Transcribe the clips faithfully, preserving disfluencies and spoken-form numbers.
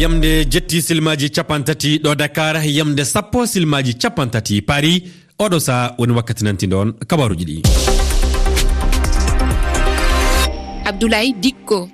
Yamde jetti silmaaji cappanɗe tati ɗo Dakar, yamde sappo silmaaji cappanɗe tati Paris. Oɗo saha woni wakkati nantiɗon kabaruuji ɗi. Abdoulaye Dikko.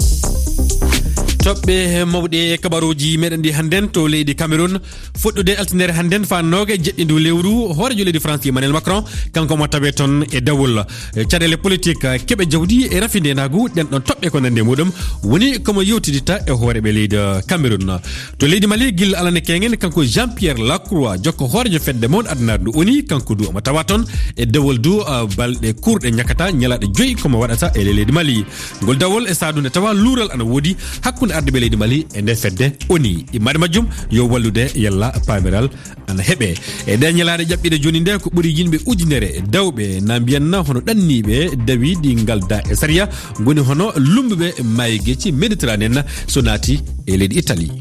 Toɓɓe mawɗe e kabaruuji meɗen ɗi hannden to leydi Cameroun. Fuɗɗude altinere hannden fa nooga e jeɗɗi ndu lewru, hoorejo leydi France Emmanuel Macron, kanko mo tawe toon e dawol. E caɗeele politik, keɓe jawdi e rafi ndeenaagu, ɗen ɗon toɓɓe ko nande muɗum woni komo yewtidita e hooreɓe leydi Cameroun. To leydi Mali, gilla alane kengen, kanko Jean-Pierre Lacroix, jokko hoorejo fedde mawɗo adunaaru ndu ONU, kanko du omo tawa toon e dawol du, ah, balɗe kurɗe ñakkata, ñalaaɗe joyi komo waɗata e ley leydi Mali. Ngol dawol e saadu nde tawa luural ana woodi hakkunde ardiiɓe leydi Mali e nder fedde ONU. Immaade majjum yo wallude yalla paamiral ana heɓe. E ɗee ñalaaɗe ƴaɓɓiiɗe jooni nde, ko ɓuri yimɓe ujunere dawɓe na mbiyanna hono ɗanniiɓe dawi ɗi ngalda e sariya, ngoni hono lummbuɓe maayo gecci Méditerranée na so naati e leydi Italie.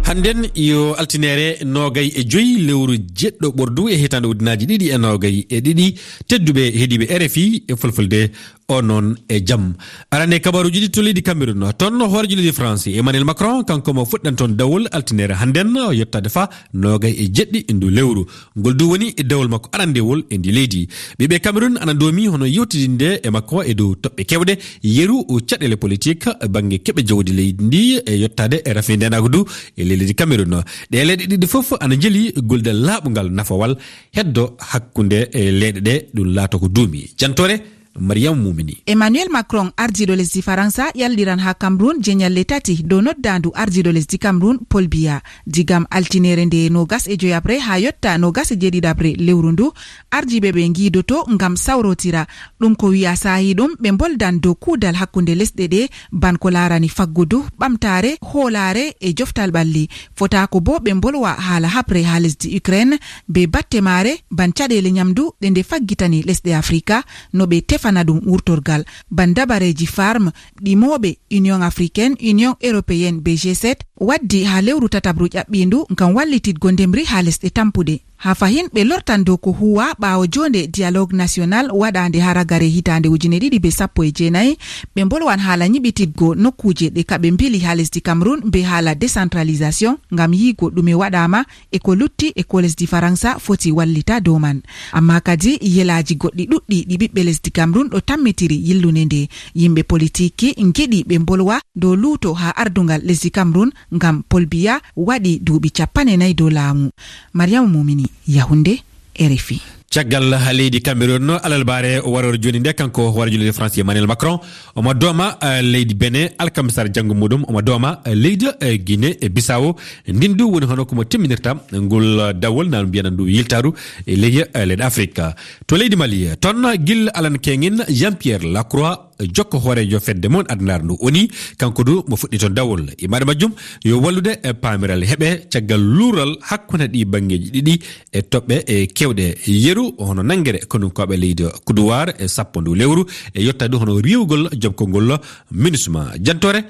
Hannden yo altinere noogay e joyi lewru jeɗɗo ɓordu e hitaande ujunaaji ɗiɗi e noogay e ɗiɗi. Tedduɓe heɗiiɓe R F I e Fulfulde, o noon e jam. Arane kabaruuji ɗi to leydi Cameroun. Toon hoorejo leydi France, Emmanuel Macron, kanko mo fuɗɗan toon dawol altinere hannden, o yettaade fa noogay e jeɗɗi e ndu lewru. Ngol du woni e dawol makko arandewol e ndi leydi. Ɓiɓɓe Cameroun ana ndoomi hono yewtidinde e makko e dow toɓɓe kewɗe, yeru o caɗeele politik, bannge keɓe jawdi leydi ndi e yettaade e rafi ndeenaagu du e ley leydi Cameroun. Ɗee leyɗe ɗiɗi fof ana njeli golde laaɓungal nafowal heddo hakkunde e leyɗe ɗe ɗum laato ko duumi. Jantore Mariam Mumini. Emmanuel Macron, ardiiɗo lesdi Faransa, ƴalliran haa Cameroun jeñalle tati dow noddaandu ardiiɗo lesdi Cameroun, Paul Biya. Digam altinere nde noogas e joyaɓre haa yotta noogas e jeeɗiɗaɓre lewru ndu, ardiiɓe ɓe ngiidoto ngam sawrotira. Ɗum ko wiya saahi ɗum ɓe mboldan dow kuudal hakkunde lesɗe ɗe, ban ko laarani faggudu, ɓamtaare, hoolaare e joftal ɓalli. Fotaako boo ɓe mbolwa haala haɓre haa lesdi Ukraine, bee batte maare, ban caɗeele ñamdu ɗe nde faggitani lesɗe Afrika, no ɓe tefana ɗum wurtorgal, ban dabareeji farm ɗi mooɓe Union Africaine, Union Européenne bee G sept waddi haa lewru tataɓru ƴaɓɓiindu ngam wallititgo ndemri haa lesɗe tampuɗe. Haa fahin ɓe lortan dow ko huuwa ɓaawo joonde dialogue national waɗaande haa ragare hitaande ujine ɗiɗi bee sappo e jeenayi, ɓe mbolwan haala ñiɓititgo nokkuuje ɗe kaɓe mbili haa lesdi Cameroun bee haala décentralisation ngam yiigo ɗume waɗaama e ko lutti e ko lesdi Faransa foti wallita dow man. Ammaa kadi yelaaji goɗɗi ɗuɗɗi ɗi ɓiɓɓe lesdi Cameroun ɗo tammitiri yillude nde. Yimɓe politiki ngiɗi ɓe mbolwa dow luuto haa ardungal lesdi Cameroun ngam Paul Biya waɗi duuɓi cappanɗe nayi dow laamu. Mariama Mumini, Yaoundé, R F I. Caggal leydi Cameroun, alarbaare warooɓe jooni nde, kanko hooreejo leydi France Emmanuel Macron, omo dooma, eh, leydi Benin, alkamisare janngo muɗum, omo dooma, eh, leydi, eh, Guinée Bissau. Ndin du woni hono ko mo timminirta ngol, eh, dawol, na mbiyanen ndu yiltaaru e ley, eh, leyɗe Afrika. To leydi Mali, toon gilla alan keŋin Jean-Pierre Lacroix, jokko hooreejo fedde mon adunaaru ndu ONU, kanko du mo fuɗɗi toon dawol. Imaade majjum yo wallude e paamiral heɓe caggal luural hakkunde ɗi banngeeji ɗiɗi e toɓɓe e kewɗe yeru, hono nanngere konunkooɓe leydi Kuduwaar e sappo ndu lewru, e yotta du hono riiwgol joɓkongol MINUSMA. Jantore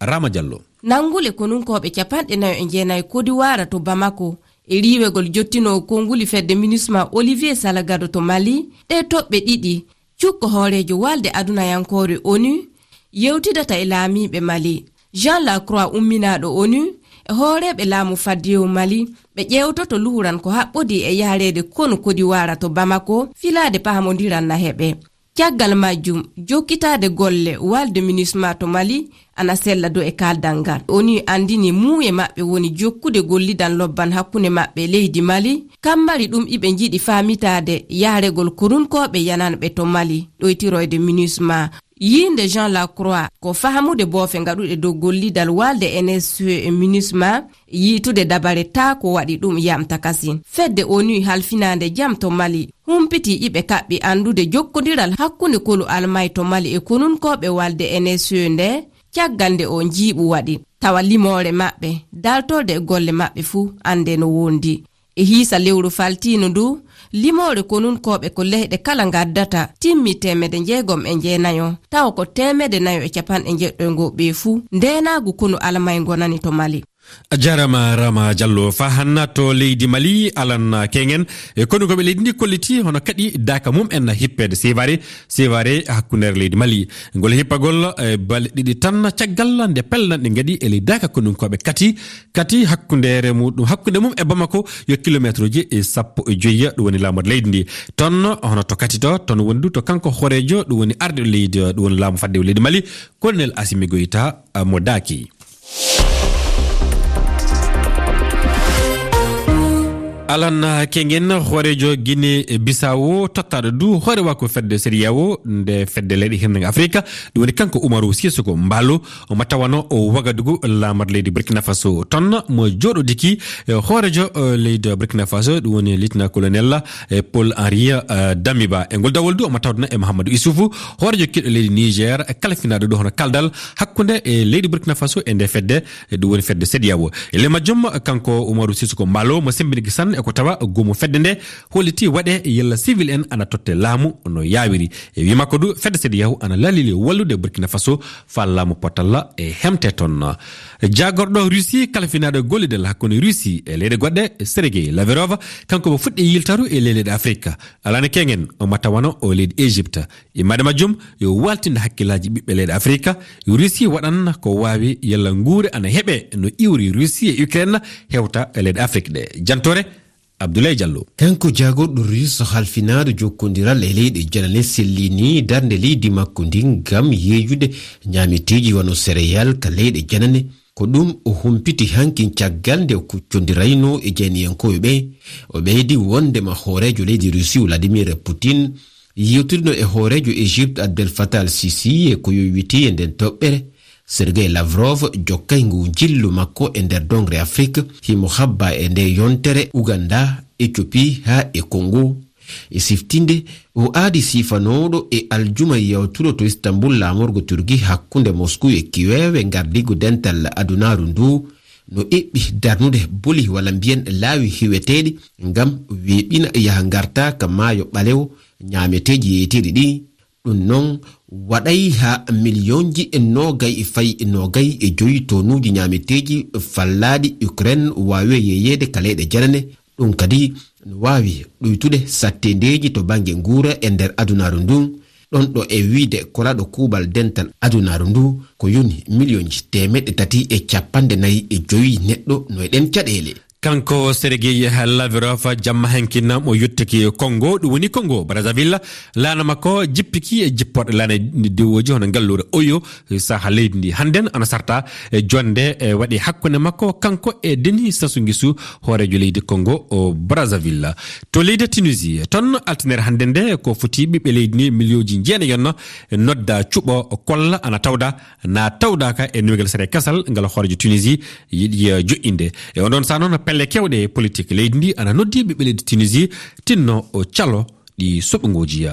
Rama Diallo. Nanngule konunkooɓe capanɗe nayo e jeenayi Kodiwaara to Bamako e riiwegol jottinoowo konnguli fedde MINUSMA Olivier Salagado to Mali, ɗe toɓɓe ɗiɗi cukko hooreejo walde adunayankoore ONU yewtidata e laamiiɓe Mali. Jean Lacroix umminaaɗo ONU e hooreeɓe laamu faddewu Mali, ɓe ƴeewtoto luhuran ko haɓɓodii e yahreede konu Kodiwaara to Bamako, filaade pahamondiral na heɓe. Caggal majjum, jokkitaade golle walde MINUSMA to Mali ana sella dow e kaaldal ngal. ONU anndini muuye maɓɓe woni jokkude gollidal lobban hakkunde maɓɓe e leydi Mali, kam mari ɗum iɓe njiɗi faamitaade yahregol konunkooɓe yananɓe to Mali, ɗoytiroyde MINUSMA. Yiinde Jean Lacroix ko fahamude boofe ngaɗuɗe dow gollidal walde N S E e MINUSMA, yiitude dabare taa ko waɗi ɗum yamta kasin. Fedde ONU halfinaande jam to Mali humpiti iɓe kaɓɓi anndude jokkondiral hakkunde konu Almay to Mali e konunkooɓe walde N S E nde, caggal nde o njiiɓu waɗi. Tawa limoore maɓɓe, dartorde e golle maɓɓe fuu annde no wondi. E hiisa lewru faltiino ndu, limoore konunkooɓe ko leyɗe kala ngaddata timmi teemedde jeegom e jeenayo, tawa ko teemedde nayo e capanɗe jeɗɗo e ngoo ɓee fuu ndeenaagu konu Almay ngonani to Mali. A jaaraama Rama Diallo. Faa hannde to leydi Mali, Alan Kengen, e konunkooɓe leydi ndi kolliti hono kaɗi daaka mum en hippeede Sivare, Sivare hakkundeere leydi Mali. Ngol hippagol e balɗe ɗiɗi tan caggal nde pellanɗe ngaɗi e ley daaka konunkooɓe kati, kati hakkundeere muɗum, hakkunde mum e Bamako yo kilomeetruuji e sappo e joyi, ɗum woni laamorde leydi ndi. Toon hono to kati to, toon woni du to kanko hooreejo, ɗum woni arɗo leydi, ɗum woni laamu fadde leydi Mali, Colonel Assimi Goïta, mo daaki. Alan Kengen, hooreejo Guinée Bissau, tottaaɗo du hooreejo fedde CEDEAO, nde fedde leyɗe hirnange Afrika, ɗum woni kanko Umaru Sissoco Embaló, mo tawano o Wagadugu, laamorde leydi Burkina Faso. Toon mo jooɗodiki, eh, hooreejo, eh, leydi Burkina Faso, ɗum woni Lieutenant-colonel, eh, Paul Henri, eh, Damiba. E ngol dawol du, omo tawdana e Mahamadou Issoufou, hooreejo kiiɗo leydi Niger, e kalfinaaɗo du hono kaldal hakkunde e leydi Burkina Faso e nde fedde, e ɗum woni fedde CEDEAO. E ley majjum, kanko Umaru Sissoco Embaló, mo semmbini gisan e ko tawa goomu fedde nde, holliti waɗe yalla civil en ana totte laamu no yaawiri. E wii makko du, fedde CEDEAO ana lalili wallude Burkina Faso faa laamu potalla e hemte toon. Jaagorɗo Russie, kalfinaaɗo gollidal hakkunde Russie e leyɗe goɗɗe, Sergei Lavrov, kanko mo fuɗɗi yiltaru e leyɗe Afrika. Alan Kengen, omo tawano o leydi Égypte. Immaade majjum, yo waaltinde hakkillaaji ɓiɓɓe leyɗe Afrika, Russie waɗan ko waawi yalla nguure ana heɓe no iwri Russie e Ukraine hewta e leyɗe Afrique ɗe. Jantoore, Abdoulaye Diallo. Kanko jaagorɗo Russe halfinaaɗo jokkondiral e leyɗe janane sellini darnde leydi makko ndin ngam yeejude ñaameteeji wano céréales ka leyɗe janane. Ko ɗum o humpiti hankin caggal nde o kuccondirayno e jayniyankooɓe ɓe. O ɓeydi wondema hooreejo leydi Russie Vladimir Putin yewtidino e hooreejo Égypte Abdel Fattah al-Sisi e ko yowitii e nden toɓɓere. Sergei Lavrov jokkay ngu njillu makko e nder dongre Afrik, himo habba e nde yontere Uganda, Ethiopie haa e Congo. E siftinde, o aadi sifanooɗo e aljuma yawtuɗo to Istanbul laamorgo Turki hakkunde Moscou e Kiev e ngardiigu dental adunaaru ndu, no eɓɓi darnude boli walla mbiyen laawi hiweteeɗi ngam weeɓina yaha ngarta ka maayo ɓalewo ñaameteeji yeeteeɗi ɗi. Ɗum noon waɗay haa miliyonji e noogay e fay noogay e joyi tonuuji ñaameteeji fallaaɗi Ukraine waawi yeeyeede ka leyɗe janane. Ɗum kadi no waawi ɗuytude satteendeeji to bannge nguura e nder adunaaru ndun. Ɗon ɗo e wiide kolaɗo kuuɓal dental adunaaru ndu ko yoni miliyonji teemeɗɗe tati e capanɗe nayi e joyi neɗɗo no e ɗen caɗeele. Kanko Sergei Lavrov jamma hankin mo yottiki Congo, ɗum woni Congo Brazzaville. Laana makko jippiki e jipporɗe laana diwooji hono ngalluure Oyo, saha leydi ndi. Hannden ana sarta e jonde e waɗi hakkunde makko kanko e Denis Sassou Nguesso, hooreejo leydi Congo o Brazzaville. To leydi Tunisie, ton altinere hannde nde ko foti ɓiɓɓe leydi ndi miliyonji jeenayi yonno nodda cuɓo kolla ana tawda na tawdaaka e newgel sere kasal ngal hooreejo Tunisie yiɗi, eh, joƴƴinde. E on ɗon saha noon pelle kewɗe e politik leydi ndi ana noddi ɓiɓɓe leydi Tunisie tinno o calo ɗi soɓngooji.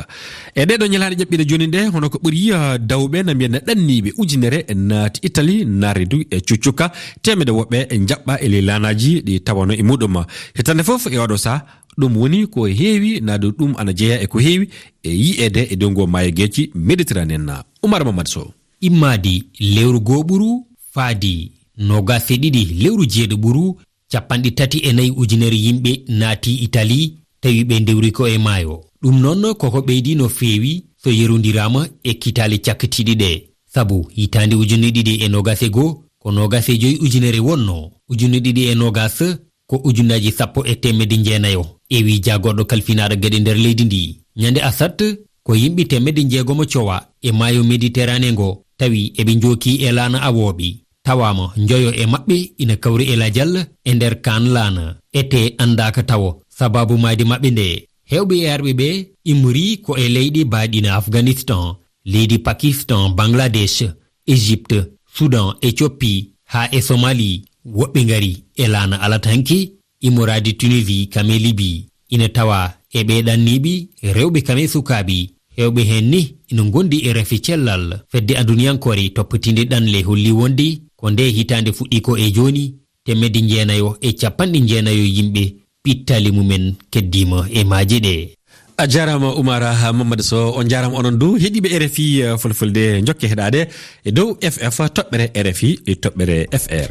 E ɗee ɗoo ñalaaɗe ƴaɓɓiiɗe jooni ɗe, hono ko ɓuri, eh, dawɓe na mbiyen ɗanniiɓe ujunere naati Italie, naarde du e cuccuka, teemedde woɓɓe e njaɓɓa e ley laanaaji ɗi tawano e muɗum. Hitande fof e oɗo saha, ɗum woni ko heewi, naadu ɗum ana jeyaa e ko heewi e yi'eede e dow ngoo maayo geeci Méditerranée na. Oumar Mamadou Sow. Immaadi lewru goo ɓuru faadi noogaas e ɗiɗi lewru jeeɗo ɓuru, capanɗe tati e nayi ujunere yimɓe naati Itali, tawi ɓe ndewri ko e maayo. Ɗum noon koko ɓeydi no feewi so yerondiraama e kitaale cakkitiiɗe ɗe. Sabu hitaande ujunere ɗiɗi e noogaas e goo, ko noogaas e joy ujunere wonno, ujunere ɗiɗi e noogaas ko ujunnaaji sappo e teemedde jeenayo, e wii jaagorɗo kalfinaaɗo geɗe nder leydi ndi. Ñande asat, ko yimɓe teemedde jeegomo cowa e maayo Méditerranée ngo, tawi eɓe njooki e laana awooɓe. Tawaama njoyo e maɓɓe ina kawri e lajal e nder kaan laana. Etee anndaaka tawo sabaabu maayde maɓɓe nde. Heewɓe e arɓe ɓe immori ko e leyɗe baaɗi na Afghanistan, leydi Pakistan, Bangladesh, Égypte, Soudan, Éthiopie, haa e Somalie. Woɓɓe ngari e laana alatanke, immoraade Tunisie, kame Libi. Ina tawa e ɓee ɗanniiɓe, rewɓe kame sukaaɓe. Heewɓe heen ni ina ngondi e rafi cellal. Fedde aduniyankore toppitiinde ɗanle holli wonde ko nde hitaande fuɗɗi ko e jooni, teemedde jeenayo e capanɗe jeenayo yimɓe pittaali mumen keddiima e maaje ɗe. A jaaraama Oumar Mamadou Sow, on njaaraama onon du heɗiiɓe R F I, eh, Fulfulde, njokke heɗaade e dow F F toɓɓere R F I e toɓɓere F R.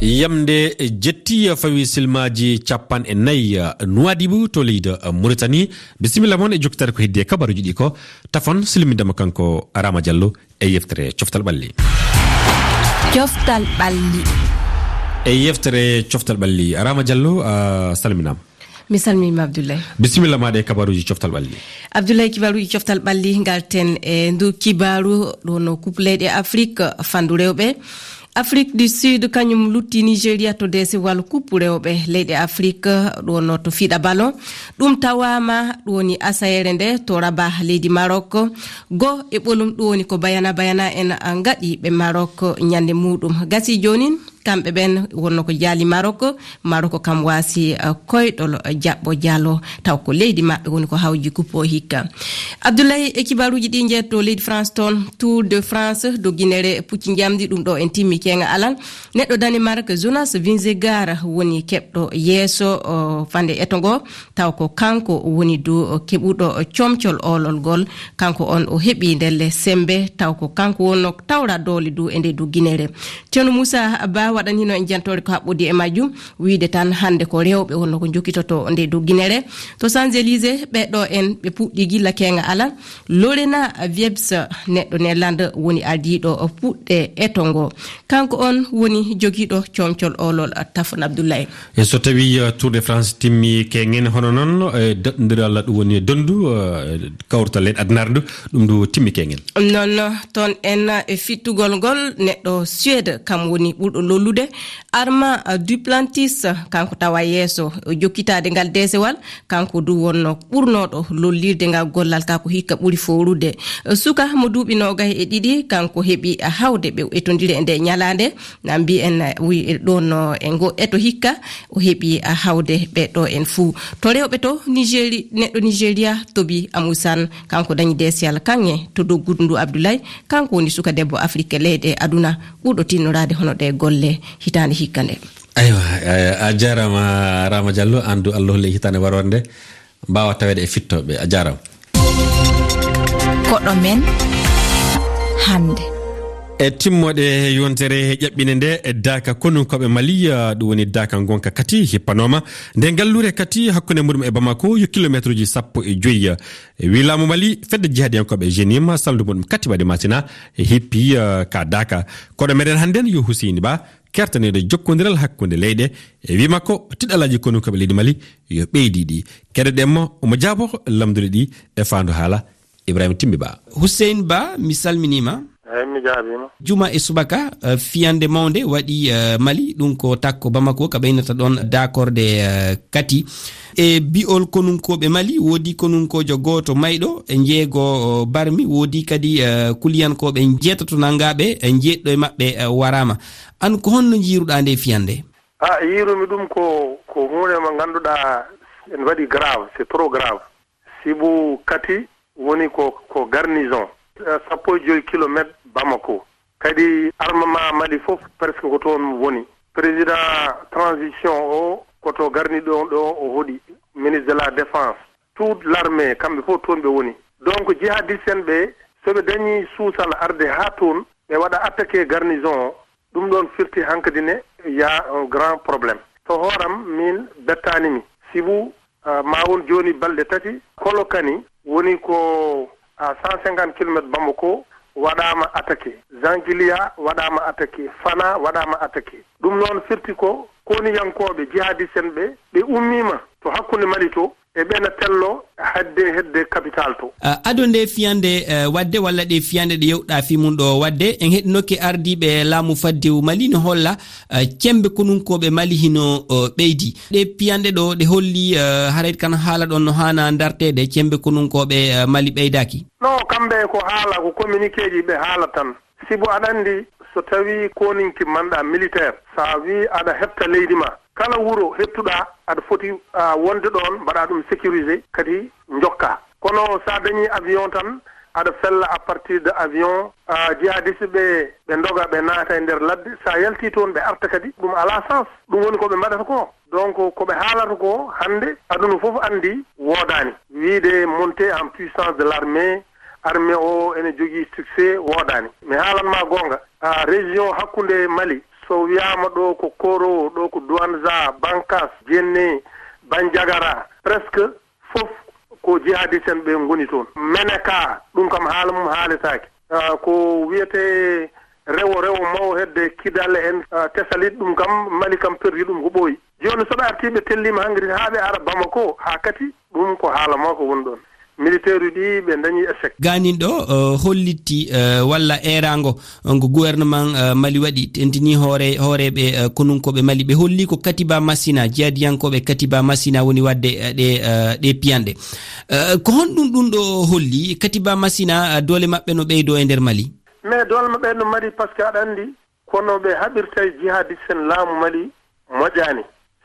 Yamde jetti fawi silmaaji capanɗe nayi Nuwaadibu to leydi Muritani. Bisimilla mon e jokkitaade ko heddi e kabaruuji ɗi ko tafon silmindema kanko Rama Diallo e yeftere Coftal Ɓalli. Coftal Ɓalli. E yeftere Coftal Ɓalli, Rama Diallo, a salminaama. Mi salminiima, Abdoulaye. Bisimilla maaɗa e kabaruuji Coftal Ɓalli. Abdoulaye, kibaruuji Coftal Ɓalli, ngarten e ndu kibaaru, ɗo no Coupe leyɗe Afrik fandu rewɓe. Afrik du Sud kañum lutti Nigeria to deesewal Coupe rewɓe leyɗe Afrik, ɗo no to fiɗa ballon. Ɗum tawaama ɗum woni asayeere nde to Rabat leydi Maroc. Go e ɓolum ɗum woni ko Bayana Bayana en ngaɗi ɓe Maroc ñande muɗum. Gasi joonin, kamɓe ɓen wonno ko jaali Maroc. Maroc kam waasi, eh, koyɗol, eh, jaɓɓo jaalo, taw ko leydi maɓɓe woni ko hawji Coupe o hikka. Abdoulaye, e kibaruuji ɗi njeeto leydi France toon, Tour de France, dogginere pucci njamndi, ɗum ɗo en timmi keenga alal. Neɗɗo Danemark, Jonas Vingegaard, woni keɓɗo yeeso, o, fande eto ngo, taw ko kanko woni du, o, keɓuɗo, o, comcol oolol ngol. Kanko on o heɓi ndelle sembe, taw ko kanko wonno tawra doole du e nde dogginere. Ceerno Moussa Ba waɗanino en jantoore ko haɓɓodi e majjum, wiide tan hannde ko rewɓe wonno ko jokkitoto nde dogginere. To Champs-Élysées, ɓe ɗo en ɓe puɗɗi gilla keenga alal. Lorena Wiebes, neɗɗo Nederland, woni ardiiɗo puɗɗe eto ngo. Kanko on woni jogiiɗo comcol oolol, Tafon Abdoulaye. E so tawi, eh, Tour de France timmi keengen, hono noon, eh, daɗndiral ɗum woni donndu, eh, kawtal leyɗe addunaare ndu, ɗum ndu timmi keengen. Noon toon en e fittugol ngol, neɗɗo Suède kam woni ɓurɗo lollude. Armand Duplantis, kanko tawa yeeso jokkitaade ngal deesewal, kanko du wonno ɓurnooɗo lollirde ngal gollal ka ko hikka ɓuri foorude. Suka mo duuɓi noogay e ɗiɗi, kanko heɓi hawde ɓe etondire e nde ñalaande. Na mbiyen, wi ɗon no e ngo eto hikka, o heɓi hawde ɓe ɗo en fuu. To rewɓe to, Nigéri-, neɗɗo Nigeria, Tobi Amusan, kanko dañi deesiyal kaŋŋe to doggudu ndu Abdoulaye, kanko woni suka debbo Afrik leyɗe aduna ɓurɗo tinnoraade hono ɗe golle hitaande hikka nde. Aywa, eh, a jaaraama, Rama Diallo, aan du Allah holli hitaande waroore nde. Mbaawa taweede e fittooɓe. A jaaraama. Koɗo men hannde. E timmoode yontere ƴaɓɓine nde, e daaka konunkooɓe Mali, ah, ɗum woni daaka ngonka Kati hippanooma. Nde ngalluure Kati hakkunde muɗum e Bamako yo kilomeetruuji sappo e joyi. E wii laamu Mali, fedde jihadiyankooɓe Jenim, salndu muɗum Kati waɗi Masina, e hippi, ah, ka daaka. Koɗo meɗen hannde yo Huseyni Ba, kertaniiɗo jokkondiral hakkunde leyɗe, e wii makko, tiɗalaaji konunkooɓe leydi Mali yo ɓeydi ɗi. Keɗoɗen mo, omo jaabo lamnduɗi ɗi e faandu haala Ibrahima Timbi Ba. Hussein Ba, mi salminiima. Eey, mi jaabiima. Juma e subaka, eh, fiyande mawnde waɗi, eh, Mali, ɗum ko takko Bamako, ka ɓeynata ɗon daakorde, eh, Kati. E bi'ol konunkooɓe Mali, woodi konunkoojo gooto mayɗo, e jeego, o, barmi, woodi kadi, eh, kuliyankooɓe njeetato nanngaaɓe, e jeeɗiɗo e maɓɓe, eh, waraama. Aan ko honno njiiruɗaa nde fiyande? Ah, yiirumi ɗum ko, ko huunde mo ngannduɗaa en waɗi grave, c'est trop grave. Sibu Kati woni ko, ko garnison, eh, sappo e joyi kilomeetre Bamako. Kadi armement Mali fof presque ko toon woni. Président transition o ko to garni ɗo, ɗo o hoɗi, ministre de la Défense. Toute l'armée, kamɓe fof toon ɓe woni. Donc, jihadiste en ɓe, so ɓe dañi suusal arde haa toon, ɓe waɗa attaqué garnison o, ɗum ɗoon firti hankadi ne, y a un grand problème. To hooram, min bettaani mi. Sibu, ah, ma won jooni balɗe tati, Kolokani woni ko, ah, cent cinquante kilomètres Bamako waɗaama attaqué. Zankilia waɗaama attaqué. Fana waɗaama attaqué. Ɗum noon firti ko koniyankooɓe jihadiste en ɓe, ɓe ummiima to hakkunde Mali to, e ɓe na tello hedde, hedde capital to. Ah, ado nde fiyande, eh, waɗde walla ɗe fiyande ɗe yewɗa fii mum ɗo waɗde, en heɗinoke ardiiɓe laamu faddewu Mali no holla, eh, cembe konunkooɓe Mali hino, eh, ɓeydi. Ɗe piyanɗe ɗo, ɗe holli, eh, haray kan haala ɗon no haana darteede, cembe konunkooɓe, eh, Mali ɓeydaaki? Non, kamɓe ko haala, ko communiqué ji ɓe haala tan. Sibu aɗa anndi, so tawii kooninki manɗa militaire, so a wii aɗa heɓta leydi ma, kala wuro heɓtuɗa, aɗa foti, ah, wonde ɗoon, mbaɗa ɗum sécurisé, kadi njokka. Kono so a dañii avion tan, aɗa fella à partir de avion, ah, jihadiste ɓe, ɓe ndoga, ɓe naata e nder ladde. So a yaltii toon, ɓe arta kadi, ɗum alaa sens. Ɗum woni ko ɓe mbaɗata ko. Donc, ko ɓe haalata ko hannde, aduna fof anndi woodaani. Wiide montée en puissance de l'armée, armée o ene jogii succès, woodaani. Mi haalan ma goonga, a, région hakkunde Mali, So wiyaama ɗo ko Koro, ɗo ko Douentza, Bankas, Djenné, Bandiagara, presque fof ko jihadiste en ɓe ngoni toon. Menaka, ɗum kam haala mum haaletaake. Ah, ko wiyetee rewo, rewo mawo hedde Kidal en, ah, Tessalit, ɗum kam Mali kam perdi ɗum ko ɓooyi. Jooni so ɓe artii ɓe telliima hannde haa ɓe ara Bamako, haa kadi ɗum ko haala mawka woni ɗoon. Militeeruuji ɗi ɓe dañi échec. Gaanin ɗo, eh, hollitti, eh, walla eeraango, eh, ngo gouvernement, eh, Mali waɗi, tentini hoore-, hooreeɓe, eh, konunkooɓe Mali, ɓe holli ko Katiba Masina, jihadiyankooɓe Katiba Masina woni waɗde, eh, ɗe, eh, ɗe piyanɗe. Eh, ko honɗum ɗum ɗo holli? Katiba Masina, eh, doole maɓɓe no ɓeydo e nder Mali? Mais doole maɓɓe no mari, parce que aɗa anndi, kono ɓe haɓirta e jihadiste en laamu Mali moƴƴaani.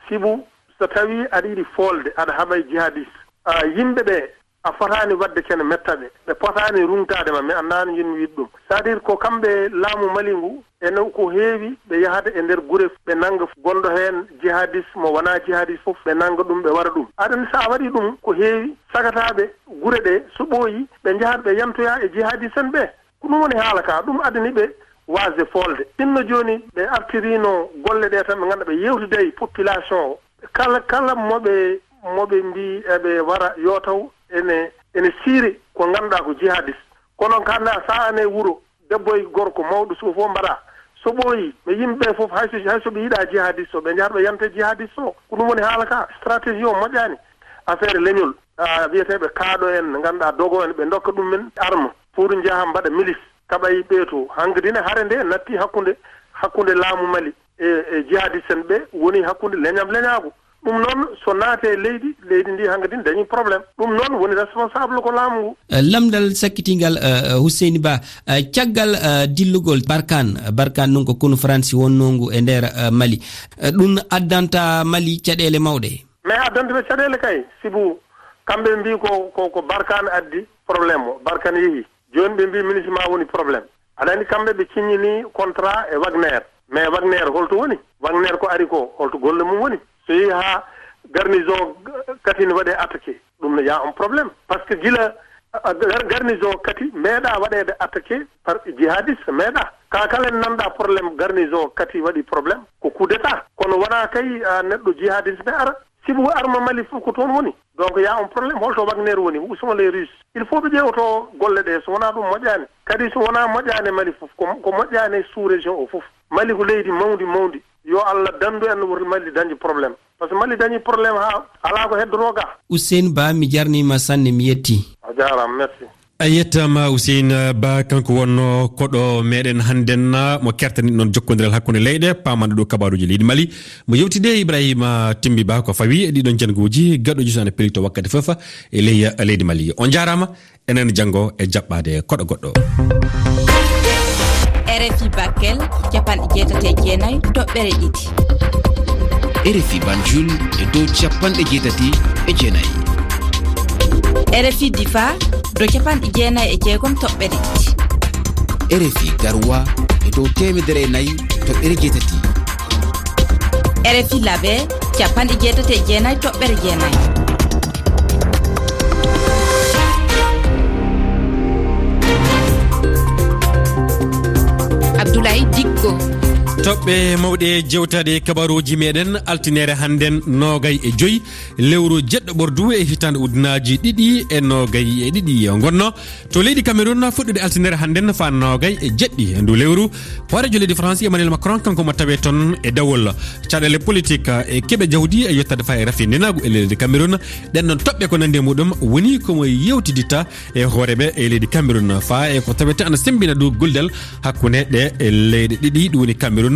Sibu so tawii aɗa yiɗi foolde, aɗa haɓa e jihadiste, a, yimɓe ɓe, a fotaani waɗde kene metta ɓe. Ɓe potaani ruŋtaade ma, mi anndaa no njiɗmi wiide ɗum. C'est-à-dire ko kamɓe laamu Mali ngu, ene ko heewi ɓe yahata e nder gure, ɓe nannga gonɗo heen jihadiste mo wonaa jihadiste fof, ɓe nannga ɗum, ɓe wara ɗum. Aɗa anndi so a waɗii ɗum ko heewi, sagataaɓe gure ɗe, so ɓooyi, ɓe njahata ɓe yantoya e jihadiste en ɓe. Ko ɗum woni haala ka, ɗum addani ɓe waasde foolde. Sinno jooni ɓe artiriino golle ɗe tan, ɓe ngannduɗaa ɓe yeewtida e population o. Kala, kala mo ɓe, mo ɓe mbii eɓe wara, yo taw ene, ene siiri ko ngannduɗaa ko jihadiste. Kono kanda sa ane wuro, debbo e gorko, mawɗo suka fof mbaɗa. So ɓooyi, ɓe yimɓe ɓe fof, hay so, hay so ɓe yiɗaa jihadiste o, ɓe njahata ɓe yanta jihadiste o. Ko ɗum woni haala ka, stratégie o moƴƴaani. Affaire leñol, ah, wiyeteeɓe kaaɗo en, ngannduɗaa dogo en, ɓe ndokka ɗum men arme pour njaha mbaɗa milice, kaɓa e ɓee to. Hankadi ne hare nde natti hakkunde, hakkunde laamu Mali e, e jihadiste en ɓe, woni hakkunde leñam leñaagu. Ɗum noon, so naate leydi, leydi ndi hankadi ne dañi problème. Ɗum noon woni responsable ko laamu ngu. Eh, lamndal sakkitingal, eh, eh, Hussein Ba, eh, caggal, eh, dillugol Barkhane, Barkhane noon ko konu Faransi wonnoo ngu e nder, eh, Mali. Eh, ɗum addanta Mali caɗeele mawɗe. Mais addanta ɓe caɗeele kay, sibu kamɓe mbii ko, ko, ko Barkhane addi problème o, Barkhane yehi. Jooni ɓe mbii MINUSMA woni problème. Aɗa anndi kamɓe ɓe ciññini contrat e Wagner. Mais Wagner holto woni? Wagner ko ari ko, holto golle mum woni? So yehi haa garnison Kati ne waɗe attaqué, ɗum ne y a un problème. Parce que gila, a, gar-, garnison Kati meeɗa waɗeede attaqué par jihadiste, meeɗa. Ka kala en nanɗa problème garnison Kati waɗi problème, ko coup d'état. Kono wona kay, a, neɗɗo jihadiste ne ara. Sibu arme Mali fof ko toon woni. Donc, y a un problème. Holto Wagner woni? Où sont les Russes? Il faut ɓe ƴeewto golle ɗe. So wona ɗum moƴƴaani. Kadi so wona moƴƴaani Mali fof, ko, ko moƴƴaani sous-région o fof. Mali ko leydi mawndi, mawndi. Yo Allah dandu en, wurti Mali dañde problème. Parce que Mali dañi problème haa alaa ko heddoroo ga. Hussein Ba, mi jarnima sanne, mi yetti. A jaaraama, merci. A yettaama, Hussein Ba, kanko wonno koɗo meɗen hannden, mo kertani ɗon jokkondiral hakkunde leyɗe, paamanɗo ɗo kabaruuji leydi Mali. Mo yewtide Ibrahima Timbi Ba ko fawi e ɗiɗon janngooji, gaɗooji so ana pelito wakkati fof e ley leydi Mali. On jaaraama, enen janngo e jaɓɓaade koɗo goɗɗo. R F I Bakel, capanɗe jeetati e jeenayi toɓɓere ɗiɗi. R F I Banjul e dow capanɗe jeetati e jeenayi. R F I Difa, dow capanɗe jeenayi e jeegom toɓɓere ɗiɗi. R F I Garoua e dow teemedere e nayi toɓɓere jeetati. R F I Labe, capanɗe jeetati e jeenayi toɓɓere jeenayi. Abdoulaye Dikko. Toɓɓe mawɗe jewtaade kabaruuji meɗen, altinere hannden noogay e joy lewru jeɗɗo ɓordu e hitaande ujunaaji ɗiɗi e noogay e ɗiɗi. Ngonno to leydi Cameroun, fuɗɗude altinere hannden faa noogay e jeɗɗi e ndu lewru. Hooreejo leydi France, Emmanuel Macron, kanko mo tawee toon e dawol. Caɗeele politik e keɓe jawdi e yettaade faa e rafi ndenaagu e leydi Cameroun. Ɗen ɗon toɓɓe ko nanndi e muɗum woni ko mo yewtiditta e hooreeɓe e leydi Cameroun faa e ko tawete ana semmbina dow gollal hakkunde ɗe e leyɗe ɗiɗi, ɗum woni Cameroun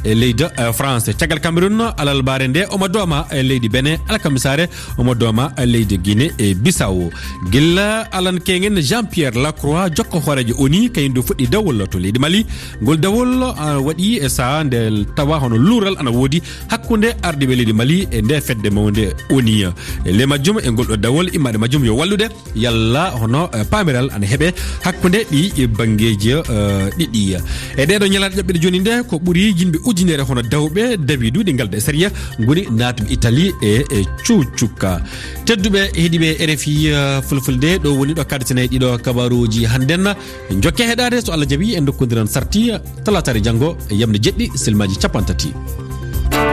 e leydi, eh, France. Caggal Cameroun, alarbaare nde omo dooma e leydi Benin, alkamisaare omo dooma leydi Guinée e Bissau. Gila Alan Kengen, Jean-Pierre Lacroix, jokko hooreejo O N U, kañum du fuɗɗi dawol to leydi Mali. Ngol dawol, ah, waɗi e saha nde tawa hono luural ana woodi hakkunde ardiiɓe leydi Mali e nde fedde mawnde O N U. E ley majjum e ngol ɗo dawol, immaade majjum yo wallude yalla hono, eh, paamiral ana heɓe hakkunde ɗi banngeeji, eh, ɗiɗi. E ɗeɗo ñalaaɗe ƴaɓɓiɗe jooni nde ko ɓuri Yimɓe ujunere hono dawɓe dawi duuɗi ngal de sariya ngoni naatuɓe Italie e e cuucukka. Tedduɓe heɗiiɓe R F I, eh, Fulfulde, ɗo woni ɗo kaɗaten e ɗiɗo kabaruuji hannden. Jokke heɗaade, so Allah jaɓi, en ndokkondiran sarti talaataare janngo e yamde jeɗɗi silmaaji cappanɗe tati.